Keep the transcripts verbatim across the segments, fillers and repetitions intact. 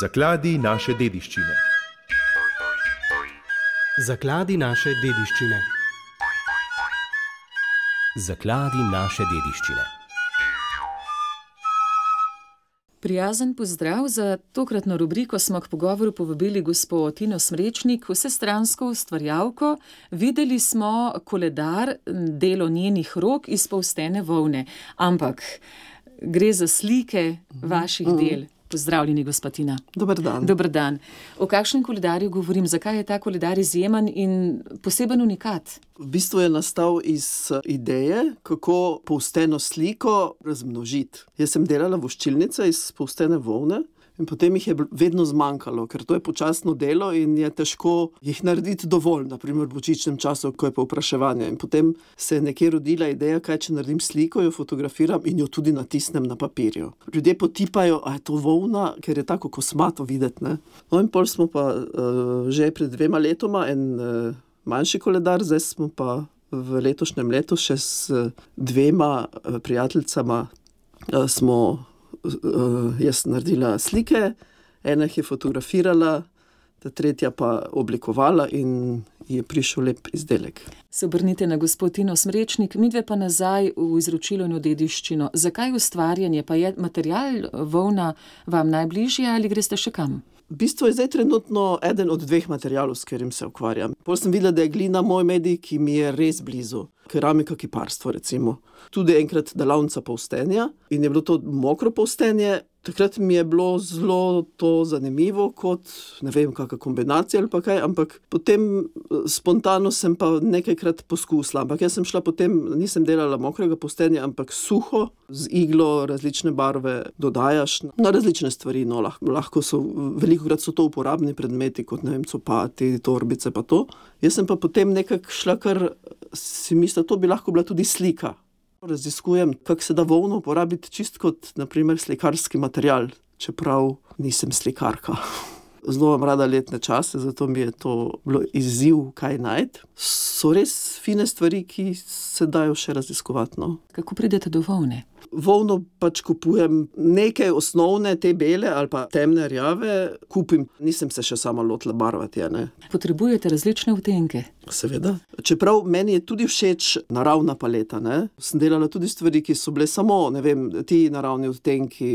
Zakladi naše dediščine. Zakladi naše dediščine. Zakladi naše dediščine. Prijazen pozdrav. Za tokratno rubriko smo k pogovoru povabili gospo Tino Smrečnik, vsestransko ustvarjalko. Videli smo koledar, delo njenih rok iz polstene volne. Ampak gre za slike vaših mm. del. Pozdravljeni, gospa Tina. Dober dan. Dober dan. O kakšnem koledarju govorim? Zakaj je ta koledar izjemen in poseben unikat? V bistvu je nastal iz ideje, kako polsteno sliko razmnožiti. Jaz sem delala voščilnice iz polstene volne in potem jih je vedno zmanjkalo, ker to je počasno delo in je težko jih narediti dovolj, na primer v božičnem času, ko je povpraševanje. In potem se je nekje rodila ideja, kaj če naredim sliko, jo fotografiram in jo tudi natisnem na papirju. Ljudje potipajo, a je to volna, ker je tako kosmato videti, ne? No in pol smo pa uh, že pred dvema letoma en uh, manjši koledar, zdaj smo pa v letošnjem letu še s dvema uh, prijateljicama uh, smo Uh, jaz naredila slike, ena jih je fotografirala, ta tretja pa oblikovala in je prišel lep izdelek. Se obrnite na gospo Tino Smrečnik, midve pa nazaj v izročilo in v dediščino. Zakaj ustvarjanje? Pa je material volna vam najbližje ali greste še kam? V bistvu je zdaj trenutno eden od dveh materialov, s katerim se ukvarjam. Potem sem videla, da je glina moj medij, ki mi je res blizu. Keramika, kiparstvo recimo. Tudi enkrat delavnica polstenja in je bilo to mokro polstenje. Takrat mi je bilo zelo to zanimivo, kot ne vem, kakšna kombinacija ali pa kaj, ampak potem spontano sem pa nekajkrat poskusila. Ampak jaz sem šla potem, nisem delala mokrega polstenja, ampak suho, z iglo različne barve dodajaš na različne stvari. No, lahko, lahko so, velikokrat so to uporabni predmeti, kot ne vem, copati, torbice pa to. Jaz sem pa potem nekako šla, kar si mislila, to bi lahko bila tudi slika. Raziskujem, kako se da volno uporabiti čist kot, na primer, slikarski material, čeprav nisem slikarka. Zelo imam rada letne čase, zato mi je to bilo izziv, kaj najti. So res fine stvari, ki se dajo še raziskovati, no. Kako pridete do volne? Volno pač kupujem nekaj osnovne, te bele ali pa temne rjave, kupim. Nisem se še sama lotila barvati, ne. Potrebujete različne odtenke? Seveda. Čeprav meni je tudi všeč naravna paleta, ne. Sem delala tudi stvari, ki so bile samo, ne vem, ti naravni odtenki,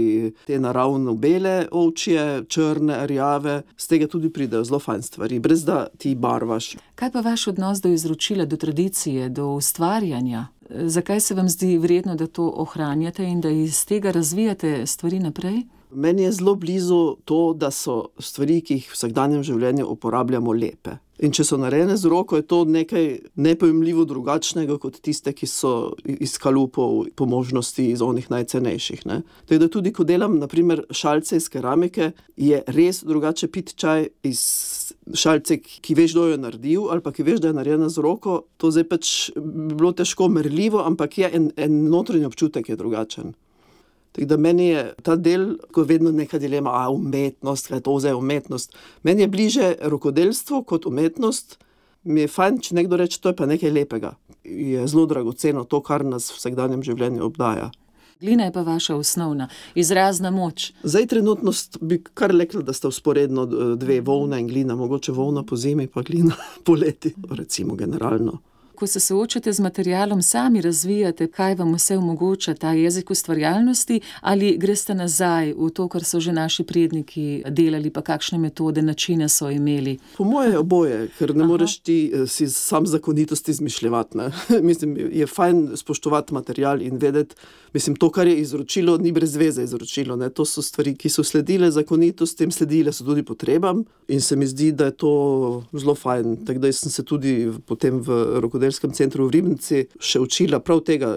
te naravno bele ovčje, črne, rjave, z tega tudi pridejo zelo fajn stvari, brez da ti barvaš. Kaj pa vaš odnos do izročila, do tradicije, do ustvarjanja? Zakaj se vam zdi vredno, da to ohranjate in da iz tega razvijate stvari naprej? Meni je zelo blizu to, da so stvari, ki jih v vsakdanjem življenju uporabljamo, lepe. In če so narejene z roko, je to nekaj nepojmljivo drugačnega kot tiste, ki so iz kalupov, po možnosti iz onih najcenejših, ne. Tako da tudi, ko delam, na primer, šalce iz keramike, je res drugače piti čaj iz šalce, ki veš, kdo jo je naredil, ali pa ki veš, da je narejena z roko. To zdaj pač bi bilo težko merljivo, ampak je en, en notranji občutek je drugačen. Tako da meni je ta del, ko je vedno neka dilema, a umetnost, kaj to zdaj je umetnost. Meni je bliže rokodelstvo kot umetnost. Mi je fajn, če nekdo reče, to je pa nekaj lepega. Je zelo dragoceno to, kar nas v vsakdanjem življenju obdaja. Glina je pa vaša osnovna, izrazna moč. Zdaj trenutno bi kar rekla, da sta vzporedno dve, volna in glina. Mogoče volna po zimi, pa glina poleti, recimo generalno. Ko se soočate z materialom, sami razvijate, kaj vam vse omogoča ta jezik ustvarjalnosti, ali greste nazaj v to, kar so že naši predniki delali, pa kakšne metode, načine so imeli? Po moje oboje, ker ne Aha. moreš ti si sam zakonitosti izmišljevati, ne. Mislim, je fajn spoštovati material in vedeti, mislim, to, kar je izročilo, ni brez veze izročilo, ne. To so stvari, ki so sledile zakonitostim, sledile so tudi potrebam in se mi zdi, da je to zelo fajn. Tako da sem se tudi potem v rokodelskem centru v Ribnici še učila prav tega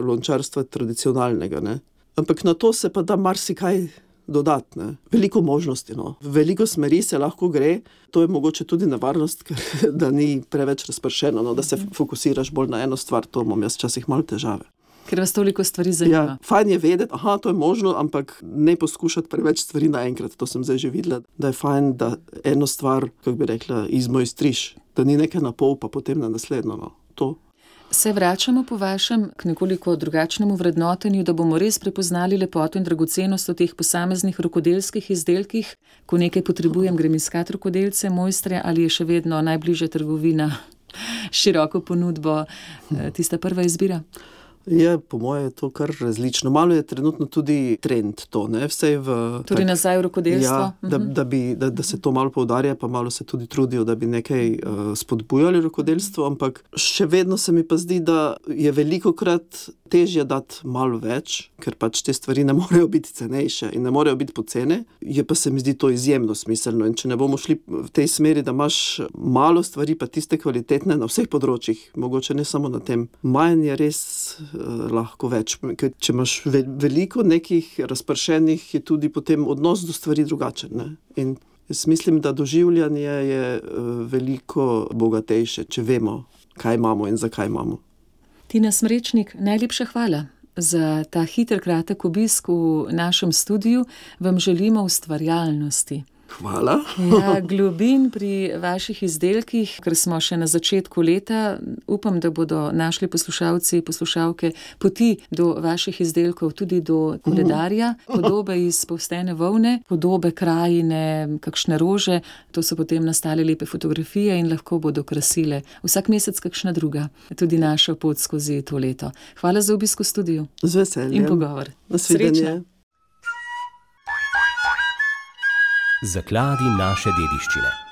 lončarstva tradicionalnega, ne. Ampak na to se pa da marsikaj dodati, ne. Veliko možnosti, no. Veliko smeri se lahko gre, to je mogoče tudi nevarnost, ker da ni preveč razpršeno, no, da se fokusiraš bolj na eno stvar, to imam jaz včasih malo težave. Ker vas toliko stvari zanima. Ja, fajn je vedeti, aha, to je možno, ampak ne poskušati preveč stvari naenkrat. To sem zdaj že videla, da je fajn, da eno stvar, kako bi rekla, izmo iztriš, da ni nekaj na pol, pa potem na naslednjo, no. To. Se vračamo po vašem k nekoliko drugačnemu vrednotenju, da bomo res prepoznali lepoto in dragocenost v teh posameznih rokodelskih izdelkih. Ko nekaj potrebujem, grem iskat rokodelce, mojstre, ali je še vedno najbližje trgovina, široko ponudbo, tista prva izbira? Je, po moje je to kar različno. Malo je trenutno tudi trend to, ne, vsej v... Torej nazaj v rokodelstvo? Ja, da, da, bi, da, da se to malo poudarja, pa malo se tudi trudijo, da bi nekaj uh, spodbujali rokodelstvo, ampak še vedno se mi pa zdi, da je velikokrat težje dati malo več, ker pač te stvari ne morejo biti cenejše in ne morejo biti pocene, je pa se mi zdi to izjemno smiselno in če ne bomo šli v tej smeri, da imaš malo stvari, pa tiste kvalitetne na vseh področjih, mogoče ne samo na tem, manj je res lahko več. Ker če imaš ve- veliko nekih razpršenih, je tudi potem odnos do stvari drugačen. Ne? In jaz mislim, da doživljanje je veliko bogatejše, če vemo, kaj imamo in zakaj imamo. Tina Smrečnik, najlepša hvala za ta hiter, kratek obisk v našem studiu. Vam želimo ustvarjalnosti. Hvala. Ja, globin pri vaših izdelkih, ker smo še na začetku leta. Upam, da bodo našli poslušalci, poslušalke poti do vaših izdelkov, tudi do koledarja, podobe iz povstene volne, podobe krajine, kakšne rože. To so potem nastale lepe fotografije in lahko bodo krasile vsak mesec kakšna druga, tudi našo pot skozi to leto. Hvala za obisk v studiu. Z veseljem. In pogovor. Nasvidenje. Srečno. Zakladi naše dediščine.